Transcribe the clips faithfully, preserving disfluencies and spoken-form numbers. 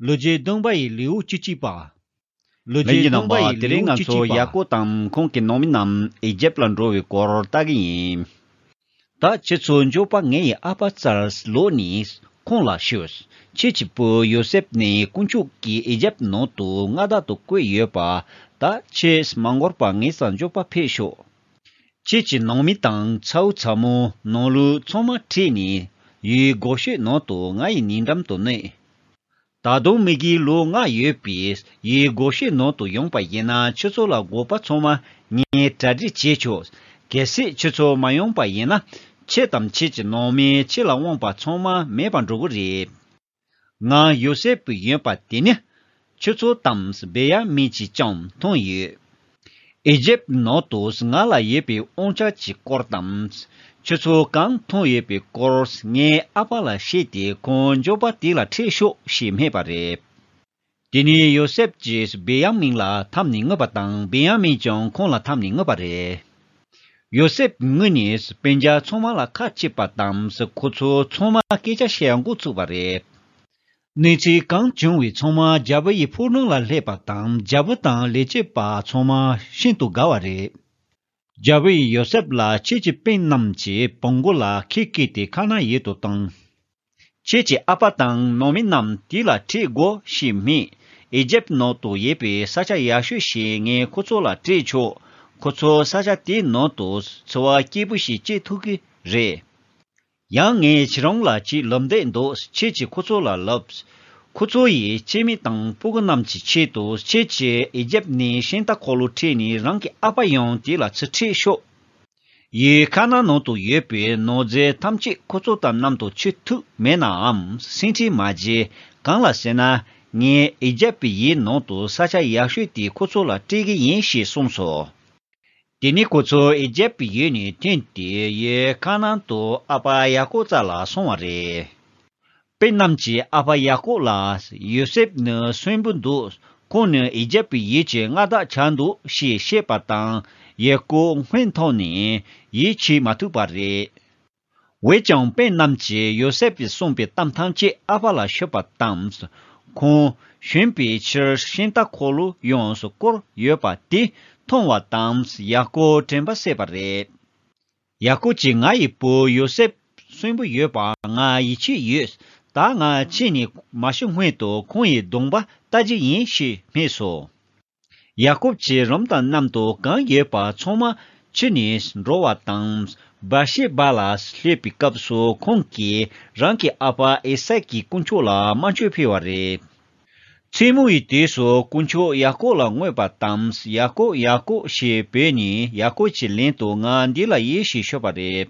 ལོ་རྒྱུས་བདུན་པ་ཡི་ལེའུ་བཅུ་གཅིག་པ། ལོ་རྒྱུས་བདུན་པ་ཡི་ལེའུ་བཅུ་གཅིག་པ། དེ་རིང་ང་ཚོ་ཡ་ཀོབ་དང་ཁོང་གི་ནང་མི་རྣམས་ཨི་ཇེབ་ལ་འགྲོ་བའི་སྐོར་ལྟ་གི་ཡིན། ད་ཁྱེད་ཚོ་མགྱོགས་པ་ངའི་ཨ་ཕའི་རྩར་ལོག་ནས་ཁོང་ལ་ཞུས། ཁྱེད་ཀྱི་བུ་ཡོ་སེབ་ནི་དཀོན་མཆོག་གིས་ཨི་ཇེབ་ནང་དུ་མངའ་བདག་ཏུ་བསྐོས་ཡོད་པ་ད་ཁྱེད་མ་འགོར་བར་ངའི་རྩར་མགྱོགས་པ་ཕེབས་ཤོག་ཁྱེད་ཀྱི་ནང་མི་དང་ཚ་བོ་ཚ་མོ་ནང་ལོགས་ཚང་མ་ཁྲིད་ནས་ཡུལ་གོ་ཤེད་ནང་དུ་ང་ཡི་ཉེ་འགྲམ་དུ་གནས། ད་དུང་མི་གི་ལོ་ལྔ་ཡོད་པའི་ཡུལ་གོ་ཤེད་ནང་དུ་ཡོང་པ་ཡིན་ན་ཁྱོད་ཚོ་ལ་དགོས་པ་ཚང་མ་ངས་གྲ་སྒྲིག་བྱེད་ཆོག་གལ་སྲིད་ཁྱོད་ཚོ་མ་ཡོང་པ་ཡིན་ན་ཁྱེད་དང་ཁྱེད་ཀྱི་ནང་མི་ཁྱེད་ལ་དབང་བ་ཚང་མ་མེད་པར་འགྲོ་གི་རེད། ང་ཡོ་སེབ་ཡིན་པ་དེ་ནི་ཁྱོད་ཚོ་དང་བེ་ཡ་མིན་གྱིས་ཀྱང་མཐོང་ཡོད། ཨི་ཇེབ་ནང་དུ་ང་ལ་ཡོད་པའི་དབང་ཆ་གྱི་སྐོར་དང་། ཁྱོད་ཚོ་གང་མཐོང་ཡོད་པའི་སྐོར་ངའི་ཨ་ཕ་ལ་བཤད་དེ་ཁོང་མགྱོགས་པ་དེ་ལ་ཁྲིད་ཤོག་ཞེས་སྨྲས་པ་རེད། དེ་ནས་ཡོ་སེབ་ཀྱིས་བེ་ཡ་མིན་ལ་འཐམས་ནས་ངུས་པ་དང་བེ་ཡ་མིན་ཀྱང་ཁོང་ལ་འཐམས་ནས་ངུས་པ་རེད། ཡོ་སེབ་ངུས་ནས་སྤུན་ཀྱག་ཚང་མ་ལ་ཁ་ཕྱེས་པ་དང་ཁོ་ཚོ་ཚང་མ་སྐད་ཆ་བཤད་འགོ་ཚུགས་པ་རེད། གནས་ཚུལ་གང་བྱུང་བའི་ཚང་མ་རྒྱལ་པོ་ཡི་ཕོ་བྲང་ལ་སླེབས་པ་དང་རྒྱལ་པོ་དང་ལས་བྱེད་པ་ཚང་མ་ཤིན་ཏུ་དགའ་བ་རེད། རྒྱལ་པོ་ཡིས་ཡོ་སེབ་ལ་ཁྱེད་ཀྱི་སྤུན་རྣམས་ཀྱི་བོང་གུ་ལ་ཁྱེད་བཀལ་ཏེ་ཁ་ན་ཡུལ་དུ་བཏང་། ཁྱེད་ཀྱི་ཨ་ཕ་དང་ནང་མི་རྣམས་དེ་ལ་ཁྲིད་དགོས་ཞེས་སྨྲས། ཨི་ཇེབ་ནང་དུ་ཡོད་པའི་ས་ཆ་ཡག་ཤོས་ཤིག་ངས་ཁོ་ཚོ་ལ་སྤྲད་ཆོག་ཁོ་ཚོ་ས་ཆ་དེའི་ནང་དུ་འཚོ་བ་སྐྱིད་པོ་ཞིག་སྐྱེལ་ཐུབ་ཀྱི་རེད། ཡང་ངས་ཁྱེད་རང་ལ་ཅིག་ལབ་འདོད་འདུག་ཁྱེད་ཀྱིས་ཁོ་ཚོ་ལ་ལབ། ཁོ་ཚོ་ཡིས་སྐྱེས་མི་དང་སྤུ་གུ་རྣམས་ཀྱི་ཆེད་དུ་ཁྱེད་ཀྱིས་ཨི་ཇེབ་ནས་ཤིང་རྟ་འཁོར་ལོ་ཁྲིད་ནས་རང་གི་ཨ་ཕ་ཡང་དེ་ལ་ཚུར་ཁྲིད་ཤོག་ཡུལ་ཁ་ན་ནང་དུ་ཡོད་པའི་ནོར་རྫས་ཐམས་ཅད་ཁོ་ཚོ་དང་མཉམ་དུ་ཁྱེར་ཐུབ་མེད་ནའང་སེམས་ཁྲལ་མ་བྱེད། གང་ལ་ཟེར་ན་ངས་ཨི་ཇེབ་ཡུལ་ནང་དུ་ས་ཆ་ཡག་ཤོས་དེ་ཁོ་ཚོ་ལ་སྤྲད་ཀྱི་ཡིན་ཞེས་གསུངས་སོ། དེ་ནས་ཁོ་ཚོ་ཨི་ཇེབ་ཡུལ་ནས་ཐོན་ཏེ་ཡུལ་ཁ་ན་དུ་ཨ་ཕ་ཡ་ཀོབ་རྩ་ལ་སོང་བ་རེད། སྤུན་རྣམས་ཀྱིས་ཨ་ཕ་ཡ་ཀོབ་ལ་ཡོ་སེབ་ནི་གསོན་པོ་འདུག་ཁོང་ནི་ཨི་ཇེབ་ཡུལ་གྱི་མངའ་བདག་ཆགས་འདུག་ཞེས་བཤད་པ་དང་ཡ་ཀོབ་སྔོན་ཐོག་ནས་ཡིད་ཆེས་མ་ཐུབ་པ་རེད། འོན་ཀྱང་སྤུན་རྣམས་ཀྱིས་ཡོ་སེབ་ཀྱིས་གསུངས་པའི་གཏམ་ཐམས་ཅད་ཨ་ཕ་ལ་ཤོད་པ་དང་། ཁོང་བཞོན་པའི་ཕྱིར་ཤིང་རྟ་འཁོར་ལོ་ཡོངས་སུ་བསྐོར་ཡོད་པ་དེ་མཐོང་བ་དང་ཡ་ཀོབ་དྲན་པ་གསོས་པ་རེད། ཡ་ཀོབ་ཀྱིས་ང་ཡི་བུ་ཡོ་སེབ་གསོན་པོ་ཡོད་པ་ང་ཡིད་ཆེས་ཡོད། ད་ང་ཕྱིན་ནས་མ་ཤི་སྔོན་དུ་ཁོང་ཡི་གདོང་པ་ལྟ་རྒྱུ་ཡིན་ཞེས་སྨྲས་སོ། ཡ་ཀོབ་ཀྱིས་རུམ་དང་མཉམ་དུ་གང་ཡོད་པ་ཚང་མ་ཁྱེར་ནས་འགྲོ་བ་དང་། བར་ཤེ་བ་ལ་སླེབས་པའི་སྐབས་སུ་ཁོང་གིས་རང་གི་ཨ་ཕ་ཨི་སཱག་གི་དཀོན་མཆོག་ལ་དམར་མཆོད་ཕུལ་བ་རེད། མཚན་མོ་ཡི་དུས་སུ་དཀོན་མཆོག་ཡ་ཀོབ་ལ་མངོན་པ་དང་། ཡ་ཀོབ་ཡ་ཀོབ་ཞེས་འབོད་ནས་ཡ་ཀོབ་ཀྱི་ལན་དུ་ང་འདི་ལ་ཡིན་ཞེས་ཤོད་པ་རེད།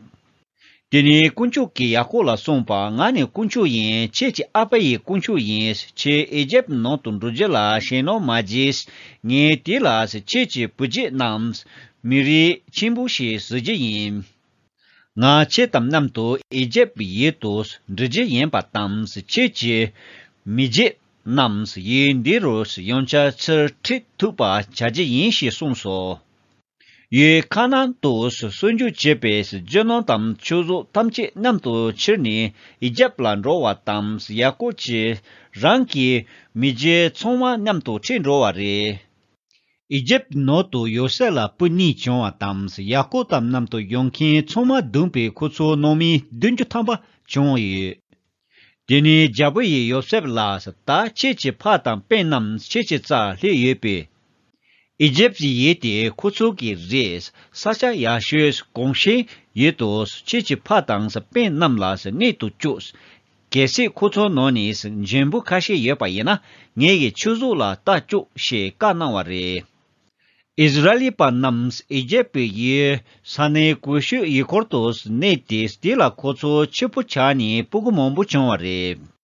དེ་ནས་དཀོན་མཆོག་གིས་ཡ་ཀོབ་ལ་གསུངས་པ། ང་ནི་དཀོན་མཆོག་ཡིན། ཁྱེད་ཀྱི་ཨ་ཕ་ཡི་དཀོན་མཆོག་ཡིན། ཁྱེད་ཨི་ཇེབ་ནང་དུ་འགྲོ་རྒྱུ་ལ་ཞེད་སྣང་མ་བྱེད། ངས་དེ་ལ་ཁྱེད་ཀྱི་བུ་རྒྱུད་རྣམས་མི་རིགས་ཆེན་པོ་ཞིག་བཟོ་རྒྱུ་ཡིན། ང་ཁྱེད་དང་མཉམ་དུ་ཨི་ཇེབ་ཡུལ་དུ་འགྲོ་རྒྱུ་ཡིན་པ་དང་། ཁྱེད་ཀྱི་མི་རྒྱུད་རྣམས་ཡུལ་འདི་རུ་ཡང་བསྐྱར་ཚུར་ཁྲིད་ཐུབ་པ་བྱ་རྒྱུ་ཡིན་ཞེས་གསུངས་སོ། ཡུལ་ཁ་ན་ཏུ་གསོན་རྒྱུག་བྱེད་པའི་རྒྱུ་ནོར་དང་ཆོས་གཟུགས་ཐམས་ཅད་མཉམ་དུ་ཁྱེར་ནས་ཨི་ཇེབ་ལ་འགྲོ་བ་དང་། ཡ་ཀོབ་ཀྱིས་རང་གི་མི་རྒྱུད་ཚང་མ་མཉམ་དུ་ཁྲིད་འགྲོ་བ་རེད། ཨི་ཇེབ་ནང་དུ་ཡོ་སེབ་ལ་བུ་གཉིས་བྱུང་བ་དང་། ཡ་ཀོབ་དང་མཉམ་དུ་ཡོང་མཁན་ཚང་མ་བསྡོམས་པས་ཁོ་ཚོའི་ནང་མི་བདུན་ཅུ་ཐམ་པ་བྱུང་ཡོད། དེ་ནས་རྒྱལ་པོ་ཡིས་ཡོ་སེབ་ལ། ད་ཁྱེད་ཀྱི་ཕ་དང་སྤུན་རྣམས་ཁྱེད་ཀྱི་རྩར་སླེབས་ཡོད་པས། ཨི་ཇེབ་ཡུལ་དེ་ཁོ་ཚོ་གི་རེད། ས་ཆ་ཡག་ཤོས་གོང་ཞིང་ཡུལ་དུ་ཁྱེད་ཀྱི་ཕ་དང་སྤུན་རྣམས་ལ་གནས་དུ་བཅུག་གལ་སྲིད་ཁོ་ཚོའི་ནང་ནས་འཇོན་པོ་ཁ་ཤས་ཡོད་པ་ཡིན་ན་ངེད་ཀྱི་ཆོས་གཟུགས་ལ་ལྟ་བཅུག་ཞེས་བཀའ་གནང་བ་རེད། ཨིསི་ར་ཨེལ་པ་རྣམས་ཨི་ཇེབ་ཡུལ་ས་གནས་གུ་ཤུད་ཡུལ་སྐོར་དུ་གནས་ཏེ། དེ་ལ་ཁོ་ཚོ་ཕྱུག་པོ་ཆགས་ནས་སྤུ་གུ་མང་པོ་བྱུང་བ་རེད།